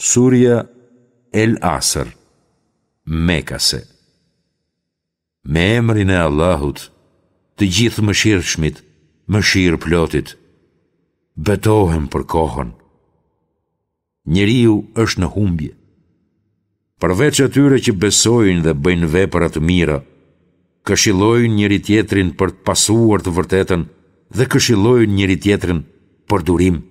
Surja El Asr, Mekase. Me emrin e Allahut, të Gjithëmëshirshmit, mëshirëplotit, betohem për kohën. Njeriu është në humbje. Përveç atyre që besojnë dhe bëjnë vepra të mira, këshillojnë njëri-tjetrin për të pasuar të vërtetën dhe këshillojnë njëri-tjetrin për durim.